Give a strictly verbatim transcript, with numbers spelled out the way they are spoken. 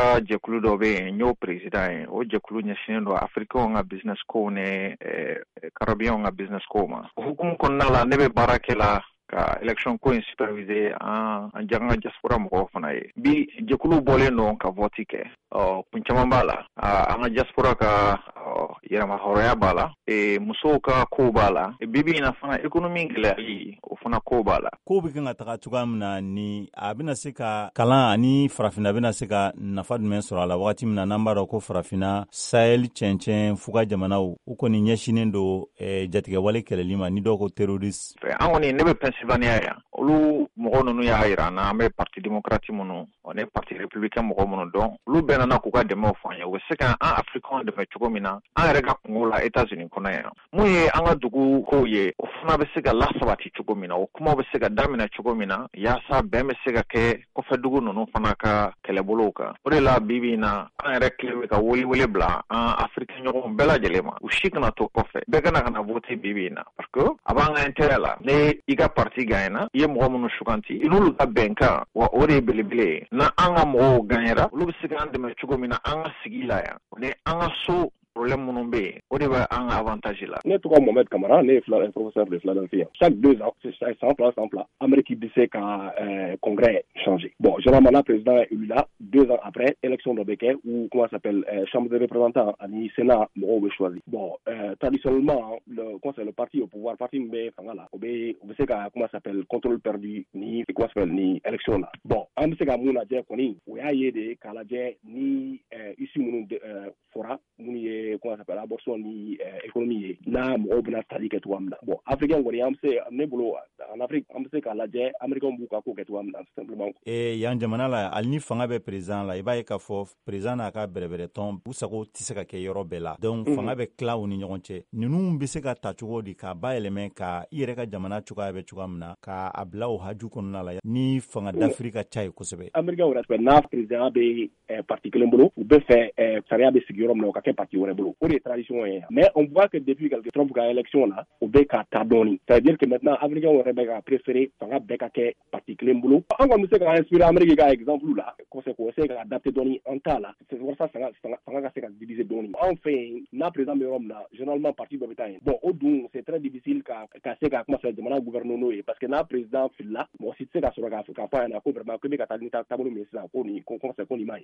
ka jɛkulu dɔ bɛ yen, n y'o président ye. O jɛkulu ɲɛsinnen don Afirikɛnw ka business kow ni Caribéenw ka business kow ma. O hukumu kɔnɔna la, ne bɛ baara kɛ la ka élection ko in superviser an an an ka diaspora mɔgɔw fana ye. Bi, jɛkulu bɔlen don ka vote kɛ. Ɔ kun caman b'a la: an ka diaspora ka yɛrɛma hɔrɔnya b'a la, musow ka kow b'a la, bi bi in na fana économie gɛlɛyali, o fana kow b'a la. Kow bɛ kan ka taga cogoya min na ni a bɛna se ka kalan ani Farafinna bɛna se ka nafa jumɛn sɔrɔ a la, wagati min na n'an b'a dɔn ko Farafinna, Sahel, cɛncɛn fuga jamanaw, u kɔni ɲɛsinnen don jatigɛwale kɛlɛli ma, ni dɔw ko terroriste? An kɔni, ne bɛ Pennsylvania yan, olu mɔgɔ ninnu y'a yira an na, an bɛ Parti démocrate minnu ani Parti républicain mɔgɔ minnu dɔn, olu bɛɛ nana k'u ka dɛmɛw fɔ an ye, u bɛ se ka an Africain dɛmɛ cogo min na an yɛrɛ ka kungo la États-Unis kɔnɔ yan. Mun ye an ka dugu kow ye, o fana bɛ se ka lasabati cogo min na, o kumaw bɛ se ka daminɛ cogo min na, yaasa bɛn bɛ se ka kɛ kɔfɛ dugu ninnu fana ka kɛlɛbolow kan. O de la, bi bi in na, an yɛrɛ kelen bɛ ka wele wele bila an Afiriki ɲɔgɔnw bɛɛ lajɛlen ma, u si kana to kɔfɛ, bɛɛ kana ka na voter bi bi in na, parce que a b'an ka intérêt la. Ne i ka parti gagnera, i ye mɔgɔ minnu suganti, i n'olu ka bɛnkan wa, o de ye belebele ye. Na an ka mɔgɔw gagnera, olu bɛ se k'an dɛmɛ cogo min na an ka sigi la yan ni an ka so problème minnu bɛ yen, o de bɛ an ka avantage la. Ne tɔgɔ Mohamed Kamara, ne ye professeur de Philadelphie. Chaque deux ans, san fila san fila, Amérique bɛ se ka euh, congrès changer. Bon, généralement, la président est élu là, deux ans après, élection dɔ bɛ kɛ ou comment ça s'appelle, euh, chambre des représentants ani Sénat mɔgɔw bɛ choisi. Bon, euh, traditionnellement, le comment c'est le parti au pouvoir, parti min bɛ fanga la, o bɛ o bɛ se ka comment ça s'appelle, contrôle perdu ni comment ça s'appelle, ni élection la. Bon, an bɛ se ka mun lajɛ kɔni, o y'a ye de k'a lajɛ ni euh, issue minnu euh, fɔra, minnu ye comment ça s'appelle, abortion ni euh, économie ye, n'a mɔgɔw bɛna tali kɛ cogoya min na. Bon, africain kɔni, an bɛ se, ne bolo, en Afrique, an bɛ se k'a lajɛ américain b'u ka ko kɛ cogoya min na, simplement. Eh, yan jamana la, hali ni fanga bɛ président la, i b'a ye k'a fɔ président n'a ka bɛrɛbɛrɛtɔn, u sago tɛ se ka kɛ yɔrɔ bɛɛ la. Donc mm -hmm. fanga bɛ tila u ni ɲɔgɔn cɛ. Ninnu bɛ se ka ta cogo di k'a bayɛlɛmɛ ka i yɛrɛ ka jamana cogoya bɛ cogoya min na, k'a bila o haju kɔnɔna la ni fanga dafiri ka ca ye kosɛbɛ? Américain yɛrɛ fɛ, n'a président bɛ eh, parti kelen bolo, u bɛ fɛ eh, sariya bɛ sigi yɔrɔ min na, o ka kɛ parti wɛrɛ bolo. O de ye tradition ye. Mais on voit que depuis quelque Trump ka élection la, o bɛ ka taa dɔɔni, c'est à dire que maintenant américain yɛrɛ bɛ ka préférer fanga bɛɛ ka kɛ parti kelen bolo. An kɔni bɛ se ka inspirer Amérique ka exemple la kosɛbɛ, k'o essayer ka adapter dɔɔni an ta la, c'est walasa fanga fanga ka se ka diviser dɔɔni. Anw fɛ yen, n'a président bɛ yɔrɔ min na, généralement parti dɔ bɛ taa yen. Bon, o dun, c'est très difficile ka ka se ka kuma fɛ jamana gouverner n'o ye, parce que n'a président filila, mɔgɔ si tɛ se ka sɔrɔ k'a fɔ k'a fɔ a ɲɛna ko vraiment ko bɛ ka taa ni taabolo min ye sisan, ko nin ko ko nin ma ɲi.